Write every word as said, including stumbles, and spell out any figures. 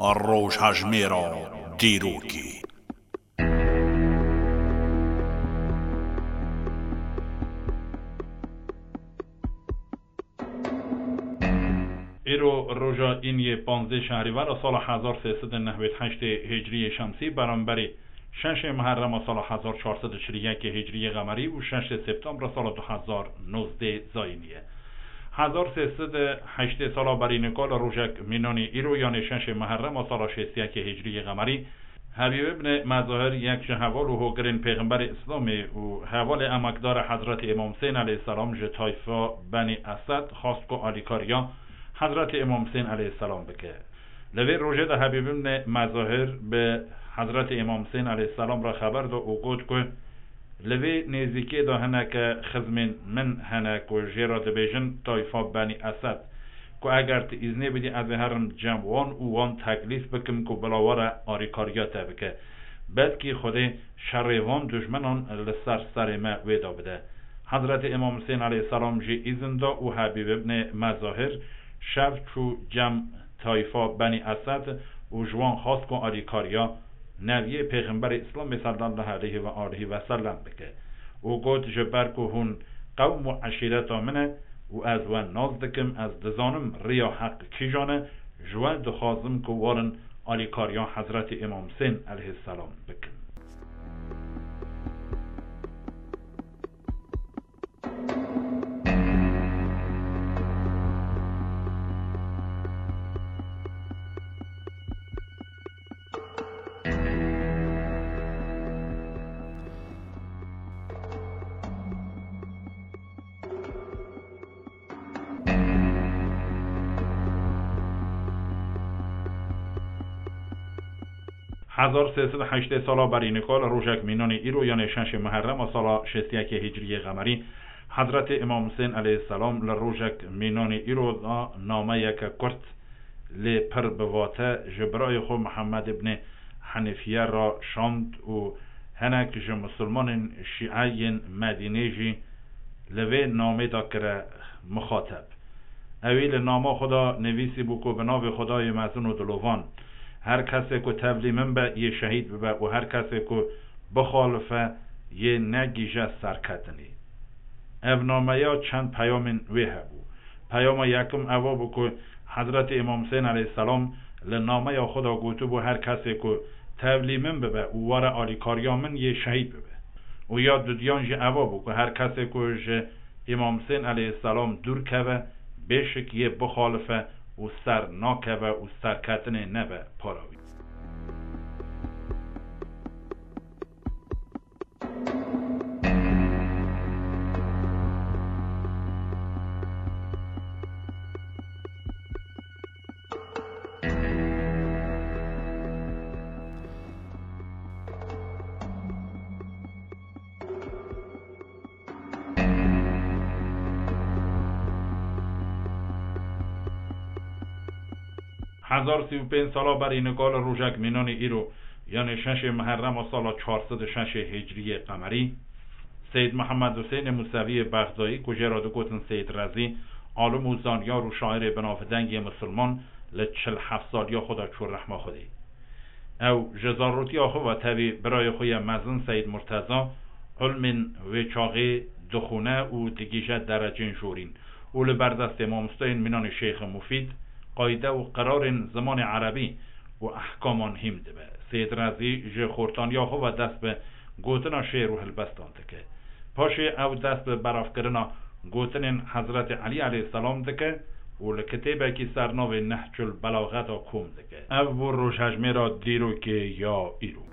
Rojhejmêra dîrokê. Îro roja îniyê panzdeh şehrîvera sala hezar sê sed û nehwêd heştê hicriyê şemsî, beramberî şeşê Muherrema sala hezar çar sed û çil û yekê hicriyê qemerî û şeşê Septembra sala du hezar nozdeh zayînî ye. Hezar sê sed û heştê sala berî nika li rojek mînanî îro, yanê şeşê Muherrema sala şêst û yekê hicriyê qemerî, Habîb ibn Mezahir, yek ji heval û hogirên Pêxemberê Îslamê û hevalê emekdar e Hezretî Îmam Husên aleyhisselam, ji tayfa Benî Esed xwest ku alîkariya Hezretî Îmam Husên aleyhisselam bike. Li vê rojê de Habîb ibn Mezahir bi Hezretî Îmam Husên aleyhisselam re xeber da û got ku, Li vê nêzîkê de hineke xizmên min hene ku jê re dibêjin tayfa Benî Esed, ku eger tu îznê bidî, ez ê herim cem wan û wan teklîf bikim ku bila were alîkariya te bike. Belkî Xwedê şerê van dijminan li ser serê me wê de bide. Hezretî Îmam Husên aleyhisselam jî îzin da û Habîb ibn Mezahir şev çû cem tayfa Benî Esed û ji wan xwest ku alîkariya Neviyê Pêxemberê Îslamê sallallahu aleyhi ve alihi ve sellem bike û got, Ji ber ku hûn qewm û eşîreta min e û ez we nas dikim, ez dizanim riya heq kîjan e, ji we dixwazim ku werin alîkariya Hezretî Îmam Husên aleyhisselam bikin. Hezar sê sed û heştê sala berî nika li rojek mînanê îro, yanê şeşê Muherrema sala şêst û yekê Hicriyê Qemerî, Hezretê Îmam Husên aleyhisselam li rojek mînanê îro de nameyeke kurt lê pir bi vate ji birayê xwe Mihemed ibnê Henîfiye re şand û hinek ji misilmanên şîe yên Medînê jî li vê namê de kire mixateb. Ewî li nama xwe de nivîsîbû ku bi navê Xwedayê mezin û dilovan, her kesê ku tevlî min be, yê şehîd bibe û her kesê ku bixalife, yê negihîje serketinê. Ev nameya çend peyamên wê hebû. Peyama yekim eva bû ku Hezretê Îmam Husên aleyhisselam li nameya xwe de gotibû, her kesê ku tevlî min bibe û were alîkariya min, yê şehîd bibe. Û ya dudiyan jî eva bû ku her kesê ku ji Îmam Husên aleyhisselam dûr keve, bêşik yê bixalife û ser nakeve û serketinê nebe para wî. Hezar sî û pênc sala berî nika li rojek mînanê îro, yanê şeşê Muherrema sala çar sed û şeşê Hicriyê Qemerî, Seyîd Mihemed Husênê Museviyê Bexdayî, ku jê re digotin Seyîd Rezî, alim û zanyar û şairê binavdeng yê misilman, li çil heft saliya xwe de çû rehma Xwedê. Ew ji zarotiya xwe ve tevî birayê xwe yê mezin Seyîd Murteza, ilmên wê çaxê dixwîne û digihîje derecên jorîn û li ber destê mamosteyên mînanê Şêxê Mufîd, qayde û qirarên zimanê erebî û ehkaman hîm dibe. Seyîd Rezî ji xortaniya xwe ve dest bi gotina şêr û helbestan dike. Paşê ew dest bi belavkirina gotinên Hezretê Elî aleyhisselam dike û li kitêbekî ser navê Nehcul Belaxeta kom dike. Ev bû rojhejmêra dîrokê ya îro.